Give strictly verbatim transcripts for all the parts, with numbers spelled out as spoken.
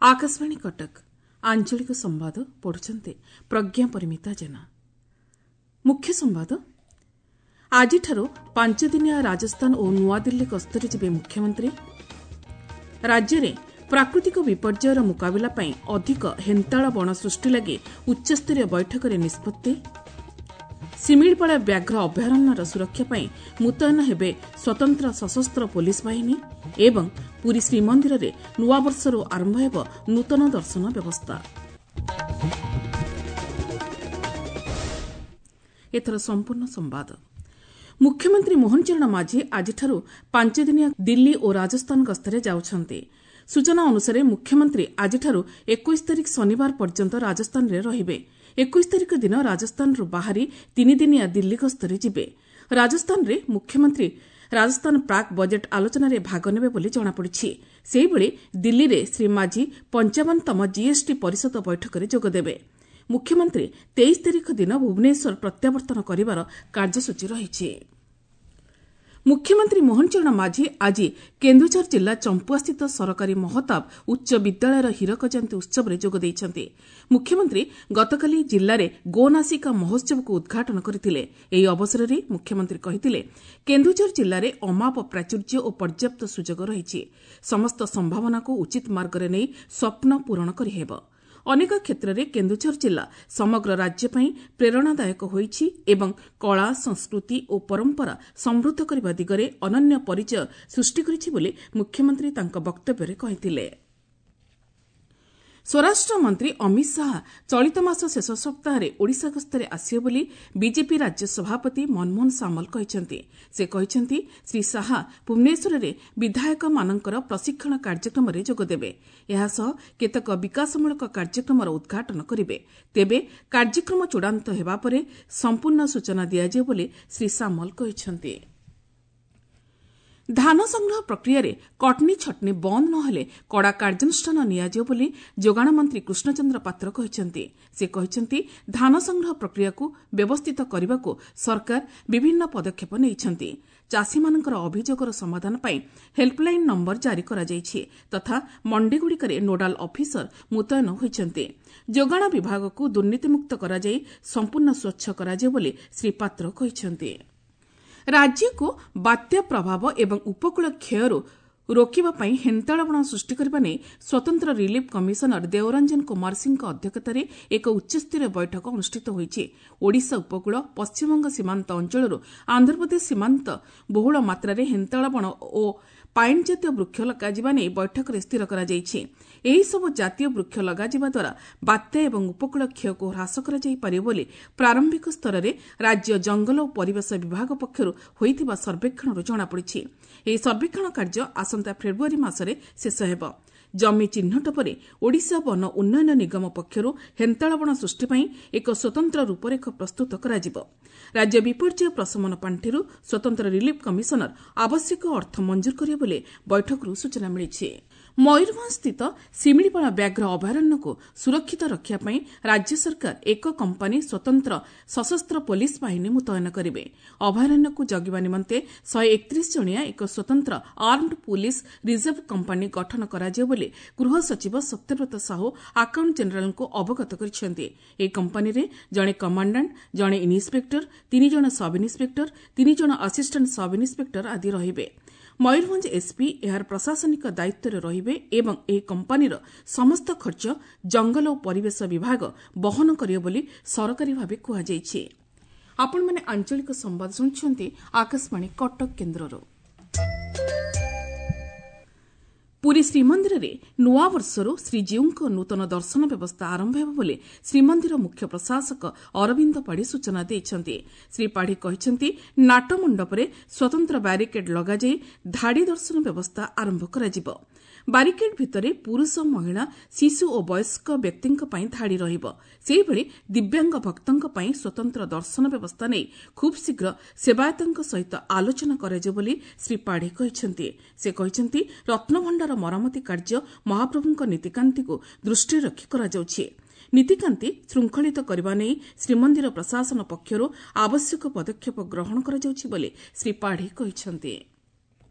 ଆକାଶବାଣୀ କଟକ ଆଞ୍ଚଳିକ ସମ୍ବାଦ ପଢୁଛନ୍ତି ପ୍ରଜ୍ଞା ପରିମିତା ଜେନା। ମୁଖ୍ୟ ସମ୍ବାଦ। ଆଜିଠାରୁ ପାଞ୍ଚଦିନିଆ ରାଜସ୍ଥାନ ଓ ନୂଆଦିଲ୍ଲୀ ଗସ୍ତରେ ଯିବେ ମୁଖ୍ୟମନ୍ତ୍ରୀ। ରାଜ୍ୟରେ ପ୍ରାକୃତିକ ବିପର୍ଯ୍ୟୟର ମୁକାବିଲା ପାଇଁ ଅଧିକ ହେନ୍ତାଳ ବଣ ସୃଷ୍ଟି ଲାଗି ଉଚ୍ଚସ୍ତରୀୟ ବୈଠକରେ ନିଷ୍ପତ୍ତି। ଶିମିଳିପାଳ ବ୍ୟାଘ୍ର ଅଭୟାରଣ୍ୟର ସୁରକ୍ଷା ପାଇଁ ମୁତୟନ ହେବେ ସ୍ୱତନ୍ତ୍ର ସଶସ୍ତ୍ର ପୋଲିସ ବାହିନୀ ଏବଂ ପୁରୀ ଶ୍ରୀମନ୍ଦିରରେ ନୂଆବର୍ଷରୁ ଆରମ୍ଭ ହେବ ନୂତନ ଦର୍ଶନ ବ୍ୟବସ୍ଥା। ଏଥର ସମ୍ପୂର୍ଣ୍ଣ ସମ୍ବାଦ। ମୁଖ୍ୟମନ୍ତ୍ରୀ ମୋହନ ଚରଣ ମାଝୀ ଆଜିଠାରୁ ପାଞ୍ଚଦିନିଆ ଦିଲ୍ଲୀ ଓ ରାଜସ୍ଥାନ ଗସ୍ତରେ ଯାଉଛନ୍ତି। ସୂଚନା ଅନୁସାରେ ମୁଖ୍ୟମନ୍ତ୍ରୀ ଆଜିଠାରୁ ଏକୋଇଶ ତାରିଖ ଶନିବାର ପର୍ଯ୍ୟନ୍ତ ରାଜସ୍ଥାନରେ ରହିବେ। ଏକୋଇଶ ତାରିଖ ଦିନ ରାଜସ୍ଥାନରୁ ବାହାରି ତିନିଦିନିଆ ଦିଲ୍ଲୀ ଗସ୍ତରେ ଯିବେ। ରାଜସ୍ଥାନରେ ମୁଖ୍ୟମନ୍ତ୍ରୀ ରାଜସ୍ଥାନ ପ୍ରାକ୍ ବଜେଟ୍ ଆଲୋଚନାରେ ଭାଗ ନେବେ ବୋଲି ଜଣାପଡ଼ିଛି। ସେହିଭଳି ଦିଲ୍ଲୀରେ ଶ୍ରୀ ମାଝୀ ପଞ୍ଚାବନତମ ଜିଏସ୍ଟି ପରିଷଦ ବୈଠକରେ ଯୋଗଦେବେ। ମୁଖ୍ୟମନ୍ତ୍ରୀ ତେଇଶ ତାରିଖ ଦିନ ଭୁବନେଶ୍ୱର ପ୍ରତ୍ୟାବର୍ତ୍ତନ କରିବାର କାର୍ଯ୍ୟସୂଚୀ ରହିଛି। ମୁଖ୍ୟମନ୍ତ୍ରୀ ମୋହନ ଚରଣ ମାଝୀ ଆଜି କେନ୍ଦୁଝର ଜିଲ୍ଲା ଚମ୍ପୁଆସ୍ଥିତ ସରକାରୀ ମହତାବ ଉଚ୍ଚ ବିଦ୍ୟାଳୟର ହୀରକ ଜୟନ୍ତୀ ଉତ୍ସବରେ ଯୋଗ ଦେଇଛନ୍ତି। ମୁଖ୍ୟମନ୍ତ୍ରୀ ଗତକାଲି ଜିଲ୍ଲାରେ ଗୋନାସିକା ମହୋତ୍ସବକୁ ଉଦ୍ଘାଟନ କରିଥିଲେ। ଏହି ଅବସରରେ ମୁଖ୍ୟମନ୍ତ୍ରୀ କହିଥିଲେ, କେନ୍ଦୁଝର ଜିଲ୍ଲାରେ ଅମାପ ପ୍ରାଚୁର୍ଯ୍ୟ ଓ ପର୍ଯ୍ୟାପ୍ତ ସୁଯୋଗ ରହିଛି। ସମସ୍ତ ସମ୍ଭାବନାକୁ ଉଚିତ ମାର୍ଗରେ ନେଇ ସ୍ୱପ୍ନ ପୂରଣ କରିହେବ। ଅନେକ କ୍ଷେତ୍ରରେ କେନ୍ଦୁଝର ଜିଲ୍ଲା ସମଗ୍ର ରାଜ୍ୟ ପାଇଁ ପ୍ରେରଣାଦାୟକ ହୋଇଛି ଏବଂ କଳା, ସଂସ୍କୃତି ଓ ପରମ୍ପରା ସମୃଦ୍ଧ କରିବା ଦିଗରେ ଅନନ୍ୟ ପରିଚୟ ସୃଷ୍ଟି କରିଛି ବୋଲି ମୁଖ୍ୟମନ୍ତ୍ରୀ ତାଙ୍କ ବକ୍ତବ୍ୟରେ କହିଥିଲେ। ସ୍ୱରାଷ୍ଟ୍ର ମନ୍ତ୍ରୀ ଅମିତ ଶାହା ଚଳିତ ମାସ ଶେଷ ସପ୍ତାହରେ ଓଡ଼ିଶା ଗସ୍ତରେ ଆସିବେ ବୋଲି ବିଜେପି ରାଜ୍ୟ ସଭାପତି ମନମୋହନ ସାମଲ କହିଛନ୍ତି। ସେ କହିଛନ୍ତି, ଶ୍ରୀ ଶାହା ଭୁବନେଶ୍ୱରରେ ବିଧାୟକମାନଙ୍କର ପ୍ରଶିକ୍ଷଣ କାର୍ଯ୍ୟକ୍ରମରେ ଯୋଗଦେବେ। ଏହାସହ କେତେକ ବିକାଶମୂଳକ କାର୍ଯ୍ୟକ୍ରମର ଉଦ୍ଘାଟନ କରିବେ। ତେବେ କାର୍ଯ୍ୟକ୍ରମ ଚୂଡ଼ାନ୍ତ ହେବା ପରେ ସମ୍ପୂର୍ଣ୍ଣ ସୂଚନା ଦିଆଯିବ ବୋଲି ଶ୍ରୀ ସାମଲ କହିଛନ୍ତି। ଧାନ ସଂଗ୍ରହ ପ୍ରକ୍ରିୟାରେ କଟନୀ ଛଟନୀ ବନ୍ଦ ନ ହେଲେ କଡ଼ା କାର୍ଯ୍ୟାନୁଷ୍ଠାନ ନିଆଯିବ ବୋଲି ଯୋଗାଣ ମନ୍ତ୍ରୀ କୃଷ୍ଣଚନ୍ଦ୍ର ପାତ୍ର କହିଛନ୍ତି। ସେ କହିଛନ୍ତି, ଧାନ ସଂଗ୍ରହ ପ୍ରକ୍ରିୟାକୁ ବ୍ୟବସ୍ଥିତ କରିବାକୁ ସରକାର ବିଭିନ୍ନ ପଦକ୍ଷେପ ନେଇଛନ୍ତି। ଚାଷୀମାନଙ୍କର ଅଭିଯୋଗର ସମାଧାନ ପାଇଁ ହେଲ୍ପଲାଇନ୍ ନମ୍ବର ଜାରି କରାଯାଇଛି ତଥା ମଣ୍ଡିଗୁଡ଼ିକରେ ନୋଡାଲ ଅଫିସର ମୁତୟନ ହୋଇଛନ୍ତି। ଯୋଗାଣ ବିଭାଗକୁ ଦୁର୍ନୀତିମୁକ୍ତ କରାଯାଇ ସମ୍ପୂର୍ଣ୍ଣ ସ୍ୱଚ୍ଛ କରାଯିବ ବୋଲି ଶ୍ରୀ ପାତ୍ର କହିଛନ୍ତି। ରାଜ୍ୟକୁ ବାତ୍ୟା ପ୍ରଭାବ ଏବଂ ଉପକୂଳ କ୍ଷୟରୁ ରୋକିବା ପାଇଁ ହେନ୍ତାଳ ବଣ ସୃଷ୍ଟି କରିବା ନେଇ ସ୍ୱତନ୍ତ୍ର ରିଲିଫ୍ କମିଶନର ଦେଓରଞ୍ଜନ କୁମାର ସିଂଙ୍କ ଅଧ୍ୟକ୍ଷତାରେ ଏକ ଉଚ୍ଚସ୍ତରୀୟ ବୈଠକ ଅନୁଷ୍ଠିତ ହୋଇଛି। ଓଡ଼ିଶା ଉପକୂଳ, ପଶ୍ଚିମବଙ୍ଗ ସୀମାନ୍ତ ଅଞ୍ଚଳରୁ ଆନ୍ଧ୍ରପ୍ରଦେଶ ସୀମାନ୍ତ ବହୁଳ ମାତ୍ରାରେ ହେନ୍ତାଳ ବଣ ଓ ପାଇନ୍ ଜାତୀୟ ବୃକ୍ଷ ଲଗାଯିବା ନେଇ ବୈଠକରେ ସ୍ଥିର କରାଯାଇଛି। ଏହିସବୁ ଜାତୀୟ ବୃକ୍ଷ ଲଗାଯିବା ଦ୍ୱାରା ବାତ୍ୟା ଏବଂ ଉପକୂଳ କ୍ଷୟକୁ ହ୍ରାସ କରାଯାଇପାରିବ ବୋଲି ପ୍ରାରମ୍ଭିକ ସ୍ତରରେ ରାଜ୍ୟ ଜଙ୍ଗଲ ଓ ପରିବେଶ ବିଭାଗ ପକ୍ଷରୁ ହୋଇଥିବା ସର୍ବେକ୍ଷଣରୁ ଜଣାପଡ଼ିଛି। ଏହି ସର୍ବେକ୍ଷଣ କାର୍ଯ୍ୟ ଆସନ୍ତା ଫେବୃଆରୀ ମାସରେ ଶେଷ ହେବ। ଜମି ଚିହ୍ନଟ ପରେ ଓଡ଼ିଶା ବନ ଉନ୍ନୟନ ନିଗମ ପକ୍ଷରୁ ହେନ୍ତାଳ ବଣ ସୃଷ୍ଟି ପାଇଁ ଏକ ସ୍ୱତନ୍ତ୍ର ରୂପରେଖ ପ୍ରସ୍ତୁତ କରାଯିବ। ରାଜ୍ୟ ବିପର୍ଯ୍ୟୟ ପ୍ରଶମନ ପାଣ୍ଠିରୁ ସ୍ୱତନ୍ତ୍ର ରିଲିଫ୍ କମିଶନର ଆବଶ୍ୟକ ଅର୍ଥ ମଞ୍ଜୁର କରିବେ ବୋଲି ବୈଠକରୁ ସୂଚନା ମିଳିଛି। ମୟୂରଭଞ୍ଜସ୍ଥିତ ଶିମିଳିପାଳ ବ୍ୟାଘ୍ର ଅଭୟାରଣ୍ୟକୁ ସୁରକ୍ଷିତ ରଖିବା ପାଇଁ ରାଜ୍ୟ ସରକାର ଏକ କମ୍ପାନୀ ସ୍ୱତନ୍ତ୍ର ସଶସ୍ତ୍ର ପୋଲିସ ବାହିନୀ ମୁତୟନ କରିବେ। ଅଭୟାରଣ୍ୟକୁ ଜଗିବା ନିମନ୍ତେ ଶହେ ଏକତିରିଶ ଜଣିଆ ଏକ ସ୍ୱତନ୍ତ୍ର ଆର୍ମଡ ପୁଲିସ ରିଜର୍ଭ କମ୍ପାନୀ ଗଠନ କରାଯିବ ବୋଲି ଗୃହ ସଚିବ ସତ୍ୟବ୍ରତ ସାହୁ ଆକାଉଣ୍ଟ ଜେନେରାଲଙ୍କୁ ଅବଗତ କରିଛନ୍ତି। ଏହି କମ୍ପାନୀରେ ଜଣେ କମାଣ୍ଡାଣ୍ଟ, ଜଣେ ଇନ୍ସପେକ୍ଟର, ତିନି ଜଣ ସବ୍ ଇନ୍ସପେକ୍ଟର, ତିନି ଜଣ ଆସିଷ୍ଟାଣ୍ଟ ସବ୍ ଇନ୍ସପେକ୍ଟର ଆଦି ରହିବେ। ମୟୂରଭଞ୍ଜ ଏସ୍ପି ଏହାର ପ୍ରଶାସନିକ ଦାୟିତ୍ୱରେ ରହିବେ ଏବଂ ଏହି କମ୍ପାନୀର ସମସ୍ତ ଖର୍ଚ୍ଚ ଜଙ୍ଗଲ ଓ ପରିବେଶ ବିଭାଗ ବହନ କରିବ ବୋଲି ସରକାରୀ ଭାବେ କୁହାଯାଇଛି। ଆପଣମାନେ ଆଞ୍ଚଳିକ ସମ୍ବାଦ ଶୁଣୁଛନ୍ତି ଆକାଶବାଣୀ କଟକ କେନ୍ଦ୍ରରୁ। ପୁରୀ ଶ୍ରୀମନ୍ଦିରରେ ନୂଆବର୍ଷରୁ ଶ୍ରୀଜୀଉଙ୍କ ନୂତନ ଦର୍ଶନ ବ୍ୟବସ୍ଥା ଆରମ୍ଭ ହେବ ବୋଲି ଶ୍ରୀମନ୍ଦିର ମୁଖ୍ୟ ପ୍ରଶାସକ ଅରବିନ୍ଦ ପାଢ଼ୀ ସୂଚନା ଦେଇଛନ୍ତି। ଶ୍ରୀ ପାଢ଼ୀ କହିଛନ୍ତି, ନାଟମଣ୍ଡପରେ ସ୍ୱତନ୍ତ୍ର ବ୍ୟାରିକେଡ୍ ଲଗାଯାଇ ଧାଡ଼ି ଦର୍ଶନ ବ୍ୟବସ୍ଥା ଆରମ୍ଭ କରାଯିବ। ବାରିକେଡ୍ ଭିତରେ ପୁରୁଷ, ମହିଳା, ଶିଶୁ ଓ ବୟସ୍କ ବ୍ୟକ୍ତିଙ୍କ ପାଇଁ ଧାଡ଼ି ରହିବ। ସେହିଭଳି ଦିବ୍ୟାଙ୍ଗ ଭକ୍ତଙ୍କ ପାଇଁ ସ୍ୱତନ୍ତ୍ର ଦର୍ଶନ ବ୍ୟବସ୍ଥା ନେଇ ଖୁବ୍ ଶୀଘ୍ର ସେବାୟତଙ୍କ ସହିତ ଆଲୋଚନା କରାଯିବ ବୋଲି ଶ୍ରୀ ପାଢ଼ୀ କହିଛନ୍ତି। ସେ କହିଛନ୍ତି, ରତ୍ନଭଣ୍ଡାର ମରାମତି କାର୍ଯ୍ୟ ମହାପ୍ରଭୁଙ୍କ ନୀତିକାନ୍ତିକୁ ଦୃଷ୍ଟିରେ ରଖି କରାଯାଉଛି। ନୀତିକାନ୍ତି ଶୃଙ୍ଖଳିତ କରିବା ନେଇ ଶ୍ରୀମନ୍ଦିର ପ୍ରଶାସନ ପକ୍ଷରୁ ଆବଶ୍ୟକ ପଦକ୍ଷେପ ଗ୍ରହଣ କରାଯାଉଛି ବୋଲି ଶ୍ରୀ ପାଢ଼ୀ କହିଛନ୍ତି।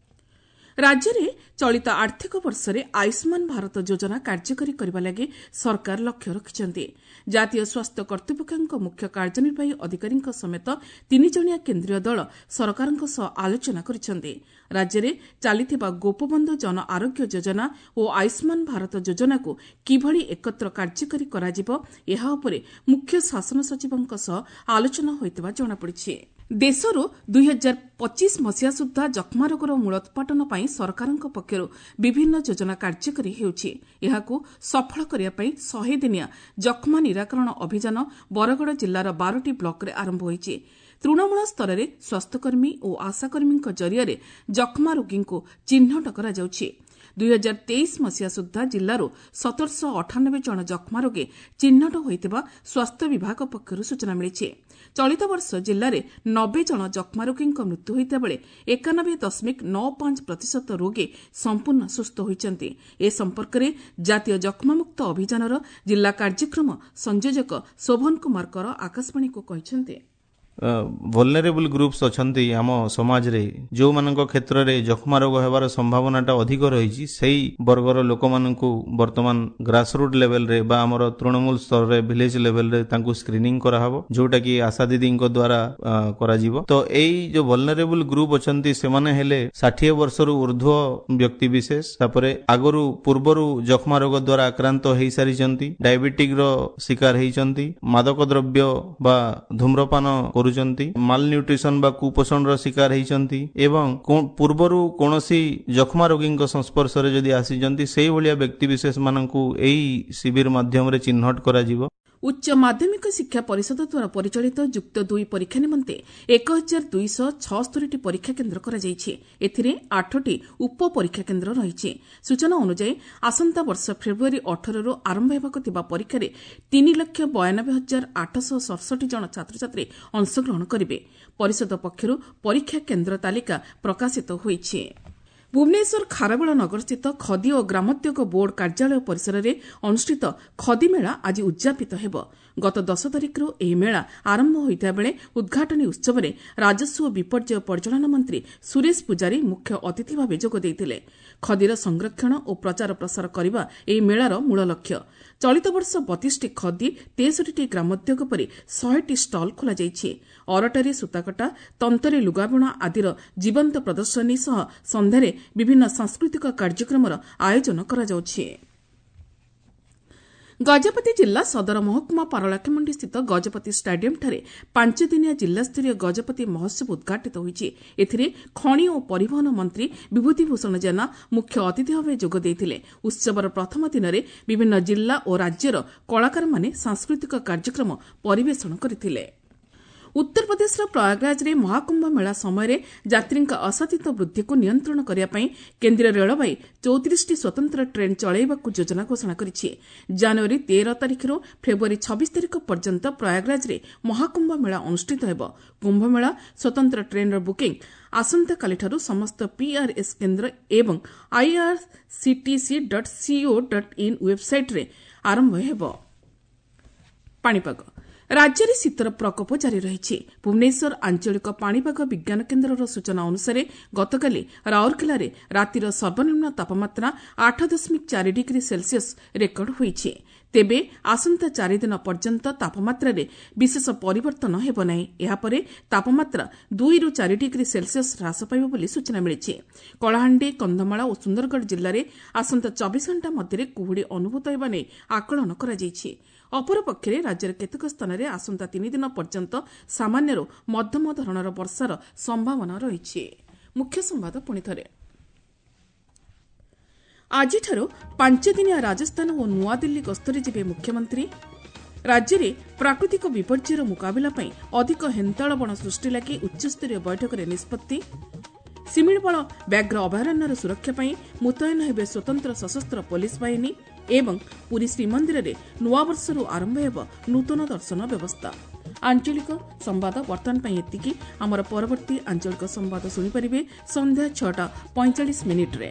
ରାଜ୍ୟରେ ଚଳିତ ଆର୍ଥିକ ବର୍ଷରେ ଆୟୁଷ୍ମାନ ଭାରତ ଯୋଜନା କାର୍ଯ୍ୟକାରୀ କରିବା ଲାଗି ସରକାର ଲକ୍ଷ୍ୟ ରଖିଛନ୍ତି। ଜାତୀୟ ସ୍ୱାସ୍ଥ୍ୟ କର୍ତ୍ତୃପକ୍ଷଙ୍କ ମୁଖ୍ୟ କାର୍ଯ୍ୟନିର୍ବାହୀ ଅଧିକାରୀଙ୍କ ସମେତ ତିନିଜଣିଆ କେନ୍ଦ୍ରୀୟ ଦଳ ସରକାରଙ୍କ ସହ ଆଲୋଚନା କରିଛନ୍ତି। ରାଜ୍ୟରେ ଚାଲିଥିବା ଗୋପବନ୍ଧୁ ଜନ ଆରୋଗ୍ୟ ଯୋଜନା ଓ ଆୟୁଷ୍ମାନ ଭାରତ ଯୋଜନାକୁ କିଭଳି ଏକତ୍ର କାର୍ଯ୍ୟକାରୀ କରାଯିବ, ଏହା ଉପରେ ମୁଖ୍ୟ ଶାସନ ସଚିବଙ୍କ ସହ ଆଲୋଚନା ହୋଇଥିବା ଜଣାପଡ଼ିଛି। ଦେଶରୁ ଦୁଇହଜାର ପଚିଶ ମସିହା ସୁଦ୍ଧା ଯକ୍ଷ୍ମା ରୋଗର ମୂଳୋତ୍ପାଟନ ପାଇଁ ସରକାରଙ୍କ ପକ୍ଷରୁ ବିଭିନ୍ନ ଯୋଜନା କାର୍ଯ୍ୟକାରୀ ହେଉଛି। ଏହାକୁ ସଫଳ କରିବା ପାଇଁ ଶହେ ଦିନିଆ ଯକ୍ଷ୍ମା ନିରାକରଣ ଅଭିଯାନ ବରଗଡ଼ ଜିଲ୍ଲାର ବାରଟି ବ୍ଲକରେ ଆରମ୍ଭ ହୋଇଛି। ତୃଣମୂଳ ସ୍ତରରେ ସ୍ୱାସ୍ଥ୍ୟକର୍ମୀ ଓ ଆଶାକର୍ମୀଙ୍କ ଜରିଆରେ ଯକ୍ଷ୍ମା ରୋଗୀଙ୍କୁ ଚିହ୍ନଟ କରାଯାଉଛି। ଦୁଇହଜାର ତେଇଶ ମସିହା ସୁଦ୍ଧା ଜିଲ୍ଲାରୁ ସତରଶହ ଅଠାନବେ ଜଣ ଯକ୍ଷ୍ମା ରୋଗୀ ଚିହ୍ନଟ ହୋଇଥିବା ସ୍ୱାସ୍ଥ୍ୟ ବିଭାଗ ପକ୍ଷରୁ ସୂଚନା ମିଳିଛି। ଚଳିତ ବର୍ଷ ଜିଲ୍ଲାରେ ନବେ ଜଣ ଯକ୍ଷ୍ମା ରୋଗୀଙ୍କ ମୃତ୍ୟୁ ହୋଇଥିବା ବେଳେ ଏକାନବେ ଦଶମିକ ନଅ ପାଞ୍ଚ ପ୍ରତିଶତ ରୋଗୀ ସମ୍ପୂର୍ଣ୍ଣ ସୁସ୍ଥ ହୋଇଛନ୍ତି। ଏ ସମ୍ପର୍କରେ ଜାତୀୟ ଯକ୍ଷ୍ମାମୁକ୍ତ ଅଭିଯାନର ଜିଲ୍ଲା କାର୍ଯ୍ୟକ୍ରମ ସଂଯୋଜକ ଶୋଭନ କୁମାର କର ଆକାଶବାଣୀକୁ କହିଛନ୍ତି, ଭଲନେରେବୁଲ୍ ଗ୍ରୁପ୍ସ ଅଛନ୍ତି ଆମ ସମାଜରେ, ଯେଉଁମାନଙ୍କ କ୍ଷେତ୍ରରେ ଯକ୍ଷ୍ମା ରୋଗ ହେବାର ସମ୍ଭାବନାଟା ଅଧିକ ରହିଛି, ସେଇ ବର୍ଗର ଲୋକମାନଙ୍କୁ ବର୍ତ୍ତମାନ ଗ୍ରାସରୁଟ୍ ଲେଭେଲରେ ବା ଆମର ତୃଣମୂଳ ସ୍ତରରେ ଭିଲେଜ ଲେଭେଲରେ ତାଙ୍କୁ ସ୍କ୍ରିନିଂ କରାହବ, ଯୋଉଟାକି ଆଶା ଦିଦିଙ୍କ ଦ୍ୱାରା କରାଯିବ। ତ ଏଇ ଯୋଉ ଭଲନେରେବୁଲ୍ ଗ୍ରୁପ୍ ଅଛନ୍ତି ସେମାନେ ହେଲେ ଷାଠିଏ ବର୍ଷରୁ ଉର୍ଦ୍ଧ୍ୱ ବ୍ୟକ୍ତି ବିଶେଷ, ତାପରେ ଆଗରୁ ପୂର୍ବରୁ ଯକ୍ଷ୍ମା ରୋଗ ଦ୍ୱାରା ଆକ୍ରାନ୍ତ ହେଇସାରିଛନ୍ତି, ଡାଇବେଟିକର ଶିକାର ହେଇଛନ୍ତି, ମାଦକ ଦ୍ରବ୍ୟ ବା ଧୂମ୍ରପାନ କରୁଛନ୍ତି, ମାଲନ୍ୟୁଟ୍ରିସନ ବା କୁପୋଷଣର ଶିକାର ହେଇଛନ୍ତି ଏବଂ ପୂର୍ବରୁ କୌଣସି ଯକ୍ଷ୍ମା ରୋଗୀଙ୍କ ସଂସ୍ପର୍ଶରେ ଯଦି ଆସିଛନ୍ତି, ସେଇଭଳିଆ ବ୍ୟକ୍ତି ବିଶେଷ ମାନଙ୍କୁ ଏଇ ଶିବିର ମାଧ୍ୟମରେ ଚିହ୍ନଟ କରାଯିବ। ଉଚ୍ଚ ମାଧ୍ୟମିକ ଶିକ୍ଷା ପରିଷଦ ଦ୍ୱାରା ପରିଚାଳିତ ଯୁକ୍ତ ଦୁଇ ପରୀକ୍ଷା ନିମନ୍ତେ ଏକ ହଜାର ଦୁଇଶହ ଛଅସ୍ତରୀଟି ପରୀକ୍ଷା କେନ୍ଦ୍ର କରାଯାଇଛି। ଏଥିରେ ଆଠଟି ଉପ ପରୀକ୍ଷା କେନ୍ଦ୍ର ରହିଛି। ସୂଚନା ଅନୁଯାୟୀ ଆସନ୍ତା ବର୍ଷ ଫେବୃଆରୀ ଅଠରରୁ ଆରମ୍ଭ ହେବାକୁ ଥିବା ପରୀକ୍ଷାରେ ତିନି ଲକ୍ଷ ବୟାନବେ ହଜାର ଆଠଶହ ସତଷଠି ଜଣ ଛାତ୍ରଛାତ୍ରୀ ଅଂଶଗ୍ରହଣ କରିବେ। ପରିଷଦ ପକ୍ଷରୁ ପରୀକ୍ଷା କେନ୍ଦ୍ର ତାଲିକା ପ୍ରକାଶିତ ହୋଇଛି। ଭୁବନେଶ୍ୱର ଖାରବେଳ ନଗରସ୍ଥିତ ଖଦି ଓ ଗ୍ରାମୋଦ୍ୟୋଗ ବୋର୍ଡ କାର୍ଯ୍ୟାଳୟ ପରିସରରେ ଅନୁଷ୍ଠିତ ଖଦି ମେଳା ଆଜି ଉଦ୍ଯାପିତ ହେବ। ଗତ ଦଶ ତାରିଖରୁ ଏହି ମେଳା ଆରମ୍ଭ ହୋଇଥିବା ବେଳେ ଉଦ୍ଘାଟନୀ ଉତ୍ସବରେ ରାଜସ୍ୱ ଓ ବିପର୍ଯ୍ୟୟ ପରିଚାଳନା ମନ୍ତ୍ରୀ ସୁରେଶ ପୂଜାରୀ ମୁଖ୍ୟ ଅତିଥି ଭାବେ ଯୋଗ ଦେଇଥିଲେ। ଖଦିର ସଂରକ୍ଷଣ ଓ ପ୍ରଚାର ପ୍ରସାର କରିବା ଏହି ମେଳାର ମୂଳ ଲକ୍ଷ୍ୟ। ଚଳିତ ବର୍ଷ ବତିଶଟି ଖଦି, ତେଷଠିଟି ଗ୍ରାମୋଦ୍ୟୋଗ ପରି ଶହେଟି ଷ୍ଟଲ୍ ଖୋଲାଯାଇଛି। ଅରଟରେ ସୂତାକଟା, ତନ୍ତରେ ଲୁଗାବୁଣା ଆଦିର ଜୀବନ୍ତ ପ୍ରଦର୍ଶନୀ ସହ ସନ୍ଧ୍ୟାରେ ବିଭିନ୍ନ ସାଂସ୍କୃତିକ କାର୍ଯ୍ୟକ୍ରମର ଆୟୋଜନ କରାଯାଉଛି। ଗଜପତି ଜିଲ୍ଲା ସଦର ମହକୁମା ପାରଳାଖେମୁଣ୍ଡି ସ୍ଥିତ ଗଜପତି ଷ୍ଟାଡିୟମ୍ଠାରେ ପାଞ୍ଚଦିନିଆ ଜିଲ୍ଲାସ୍ତରୀୟ ଗଜପତି ମହୋତ୍ସବ ଉଦ୍ଘାଟିତ ହୋଇଛି। ଏଥିରେ ଖଣି ଓ ପରିବହନ ମନ୍ତ୍ରୀ ବିଭୂତି ଭୂଷଣ ଜେନା ମୁଖ୍ୟ ଅତିଥି ଭାବେ ଯୋଗ ଦେଇଥିଲେ। ଉତ୍ସବର ପ୍ରଥମ ଦିନରେ ବିଭିନ୍ନ ଜିଲ୍ଲା ଓ ରାଜ୍ୟର କଳାକାରମାନେ ସାଂସ୍କୃତିକ କାର୍ଯ୍ୟକ୍ରମ ପରିବେଷଣ କରିଥିଲେ। ଉତ୍ତରପ୍ରଦେଶର ପ୍ରୟାଗରାଜରେ ମହାକୁମ୍ଭ ମେଳା ସମୟରେ ଯାତ୍ରୀଙ୍କ ଅସାଧିତ ବୃଦ୍ଧିକୁ ନିୟନ୍ତ୍ରଣ କରିବା ପାଇଁ କେନ୍ଦ୍ରୀୟ ରେଳବାଇ ଚଉତିରିଶଟି ସ୍ୱତନ୍ତ୍ର ଟ୍ରେନ୍ ଚଳାଇବାକୁ ଯୋଜନା ଘୋଷଣା କରିଛି। ଜାନୁଆରୀ ତେର ତାରିଖରୁ ଫେବୃଆରୀ ଛବିଶ ତାରିଖ ପର୍ଯ୍ୟନ୍ତ ପ୍ରୟାଗରାଜରେ ମହାକୁମ୍ଭ ମେଳା ଅନୁଷ୍ଠିତ ହେବ। କୁମ୍ଭମେଳା ସ୍ୱତନ୍ତ୍ର ଟ୍ରେନ୍ର ବୁକିଂ ଆସନ୍ତାକାଲିଠାରୁ ସମସ୍ତ ପିଆର୍ଏସ୍ କେନ୍ଦ୍ର ଏବଂ IRCTC dot co dot in ୱେବ୍ସାଇଟ୍ରେ ଆରମ୍ଭ ହେବ। ପାଣିପାଗ ରାଜ୍ୟରେ ଶୀତର ପ୍ରକୋପ ଜାରି ରହିଛି। ଭୁବନେଶ୍ୱର ଆଞ୍ଚଳିକ ପାଣିପାଗ ବିଜ୍ଞାନ କେନ୍ଦ୍ରର ସୂଚନା ଅନୁସାରେ ଗତକାଲି ରାଉରକେଲାରେ ରାତିର ସର୍ବନିମ୍ନ ତାପମାତ୍ରା ଆଠ ଦଶମିକ ଚାରି ଡିଗ୍ରୀ ସେଲସିୟସ୍ ରେକର୍ଡ ହୋଇଛି। ତେବେ ଆସନ୍ତା ଚାରିଦିନ ପର୍ଯ୍ୟନ୍ତ ତାପମାତ୍ରାରେ ବିଶେଷ ପରିବର୍ତ୍ତନ ହେବ ନାହିଁ। ଏହାପରେ ତାପମାତ୍ରା ଦୁଇରୁ ଚାରି ଡିଗ୍ରୀ ସେଲସିୟସ୍ ହ୍ରାସ ପାଇବ ବୋଲି ସୂଚନା ମିଳିଛି। କଳାହାଣ୍ଡି, କନ୍ଧମାଳ ଓ ସୁନ୍ଦରଗଡ଼ ଜିଲ୍ଲାରେ ଆସନ୍ତା ଚବିଶ ଘଣ୍ଟା ମଧ୍ୟରେ କୁହୁଡ଼ି ଅନୁଭୂତ ହେବା ନେଇ ଆକଳନ କରାଯାଇଛି। ଅପରପକ୍ଷରେ ରାଜ୍ୟର କେତେକ ସ୍ଥାନରେ ଆସନ୍ତା ତିନିଦିନ ପର୍ଯ୍ୟନ୍ତ ସାମାନ୍ୟରୁ ମଧ୍ୟମ ଧରଣର ବର୍ଷାର ସମ୍ଭାବନା ରହିଛି। ମୁଖ୍ୟ ସମ୍ବାଦ ପୁଣିଥରେ, ଆଜିଠାରୁ ପାଞ୍ଚଦିନିଆ ରାଜସ୍ଥାନ ଓ ନୂଆଦିଲ୍ଲୀ ଗସ୍ତରେ ଯିବେ ମୁଖ୍ୟମନ୍ତ୍ରୀ। ରାଜ୍ୟରେ ପ୍ରାକୃତିକ ବିପର୍ଯ୍ୟୟର ମୁକାବିଲା ପାଇଁ ଅଧିକ ହେନ୍ତାଳ ବଣ ସୃଷ୍ଟି ଲାଗି ଉଚ୍ଚସ୍ତରୀୟ ବୈଠକରେ ନିଷ୍ପତ୍ତି। ଶିମିଳିପାଳ ବ୍ୟାଘ୍ର ଅଭୟାରଣ୍ୟର ସୁରକ୍ଷା ପାଇଁ ମୁତୟନ ହେବେ ସ୍ୱତନ୍ତ୍ର ସଶସ୍ତ୍ର ପୋଲିସ ବାହିନୀ ଏବଂ ପୁରୀ ଶ୍ରୀମନ୍ଦିରରେ ନୂଆବର୍ଷରୁ ଆରମ୍ଭ ହେବ ନୂତନ ଦର୍ଶନ ବ୍ୟବସ୍ଥା। ଆଞ୍ଚଳିକ ସମ୍ବାଦ ବର୍ତ୍ତମାନ ପାଇଁ ଏତିକି। ଆମର ପରବର୍ତ୍ତୀ ଆଞ୍ଚଳିକ ସମ୍ବାଦ ଶୁଣିପାରିବେ ସନ୍ଧ୍ୟା ଛଅଟା ପଇଁଚାଳିଶ ମିନିଟ୍ରେ।